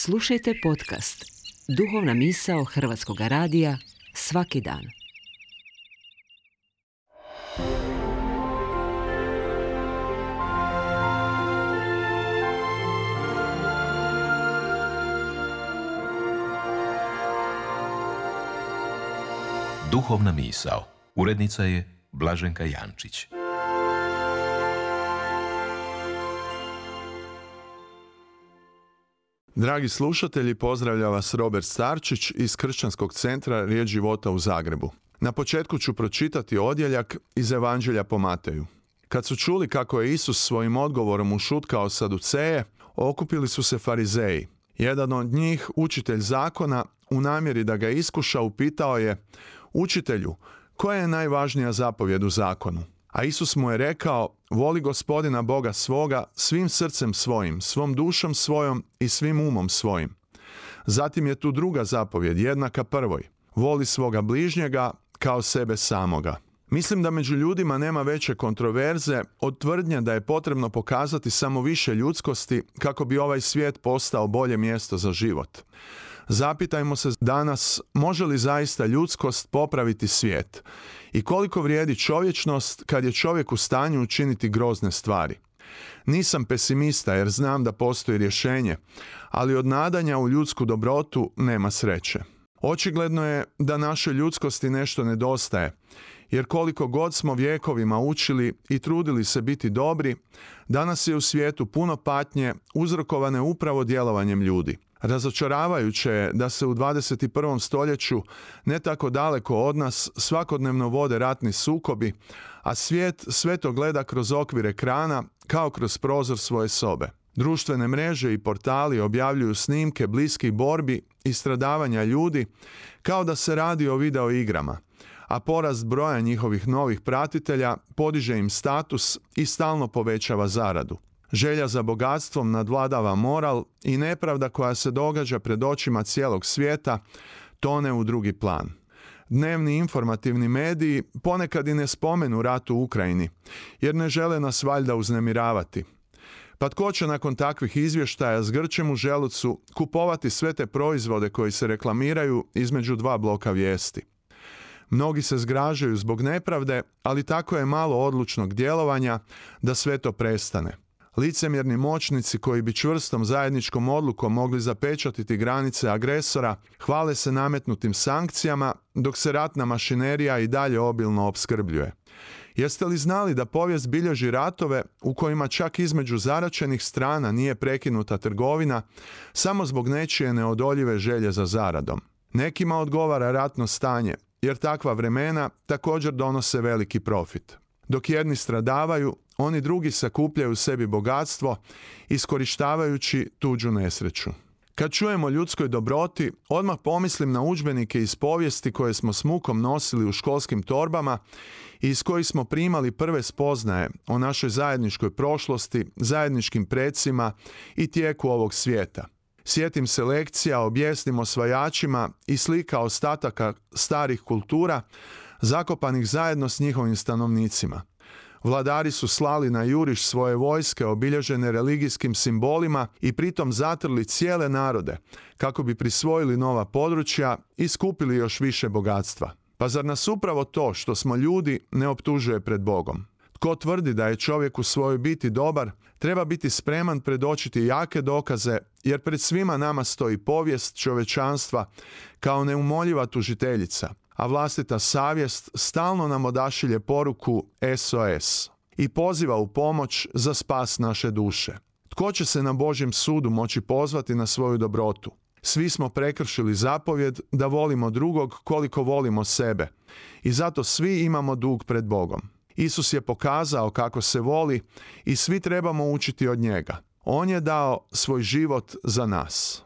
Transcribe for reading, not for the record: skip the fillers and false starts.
Slušajte podcast Duhovna misao Hrvatskog radija svaki dan. Duhovna misao. Urednica je Blaženka Jančić. Dragi slušatelji, pozdravlja vas Robert Starčić iz Kršćanskog centra Riječ života u Zagrebu. Na početku ću pročitati odjeljak iz Evanđelja po Mateju. Kad su čuli kako je Isus svojim odgovorom ušutkao Saduceje, okupili su se farizeji. Jedan od njih, učitelj zakona, u namjeri da ga iskuša, upitao je: Učitelju, koja je najvažnija zapovjed u zakonu? A Isus mu je rekao: voli Gospodina Boga svoga svim srcem svojim, svom dušom svojom i svim umom svojim. Zatim je tu druga zapovjed, jednaka prvoj: voli svoga bližnjega kao sebe samoga. Mislim da među ljudima nema veće kontroverze od tvrdnje da je potrebno pokazati samo više ljudskosti kako bi ovaj svijet postao bolje mjesto za život. Zapitajmo se danas, može li zaista ljudskost popraviti svijet? I koliko vrijedi čovječnost kad je čovjek u stanju učiniti grozne stvari? Nisam pesimista jer znam da postoji rješenje, ali od nadanja u ljudsku dobrotu nema sreće. Očigledno je da našoj ljudskosti nešto nedostaje, jer koliko god smo vjekovima učili i trudili se biti dobri, danas je u svijetu puno patnje uzrokovane upravo djelovanjem ljudi. Razočaravajuće je da se u 21. stoljeću, ne tako daleko od nas, svakodnevno vode ratni sukobi, a svijet sve to gleda kroz okvir ekrana kao kroz prozor svoje sobe. Društvene mreže i portali objavljuju snimke bliskih borbi i stradavanja ljudi kao da se radi o video igrama, a porast broja njihovih novih pratitelja podiže im status i stalno povećava zaradu. Želja za bogatstvom nadvladava moral i nepravda koja se događa pred očima cijelog svijeta tone u drugi plan. Dnevni informativni mediji ponekad i ne spomenu rat u Ukrajini, jer ne žele nas valjda uznemiravati. Pa tko će nakon takvih izvještaja s grčem u želucu kupovati sve te proizvode koji se reklamiraju između dva bloka vijesti? Mnogi se zgražaju zbog nepravde, ali tako je malo odlučnog djelovanja da sve to prestane. Licemjerni moćnici koji bi čvrstom zajedničkom odlukom mogli zapečatiti granice agresora hvale se nametnutim sankcijama, dok se ratna mašinerija i dalje obilno opskrbljuje. Jeste li znali da povijest bilježi ratove u kojima čak između zaraćenih strana nije prekinuta trgovina samo zbog nečije neodoljive želje za zaradom? Nekima odgovara ratno stanje, jer takva vremena također donose veliki profit. Dok jedni stradavaju, oni drugi sakupljaju sebi bogatstvo, iskorištavajući tuđu nesreću. Kad čujemo ljudskoj dobroti, odmah pomislim na udžbenike iz povijesti koje smo s mukom nosili u školskim torbama i iz kojih smo primali prve spoznaje o našoj zajedničkoj prošlosti, zajedničkim precima i tijeku ovog svijeta. Sjetim se lekcija o bijesnim osvajačima i slika ostataka starih kultura, zakopanih zajedno s njihovim stanovnicima. Vladari su slali na juriš svoje vojske obilježene religijskim simbolima i pritom zatrli cijele narode kako bi prisvojili nova područja i skupili još više bogatstva. Pa zar nas upravo to što smo ljudi ne optužuje pred Bogom? Tko tvrdi da je čovjek u svojoj biti dobar, treba biti spreman predočiti jake dokaze, jer pred svima nama stoji povijest čovječanstva kao neumoljiva tužiteljica, a vlastita savjest stalno nam odašilje poruku SOS i poziva u pomoć za spas naše duše. Tko će se na Božjem sudu moći pozvati na svoju dobrotu? Svi smo prekršili zapovjed da volimo drugog koliko volimo sebe i zato svi imamo dug pred Bogom. Isus je pokazao kako se voli i svi trebamo učiti od njega. On je dao svoj život za nas.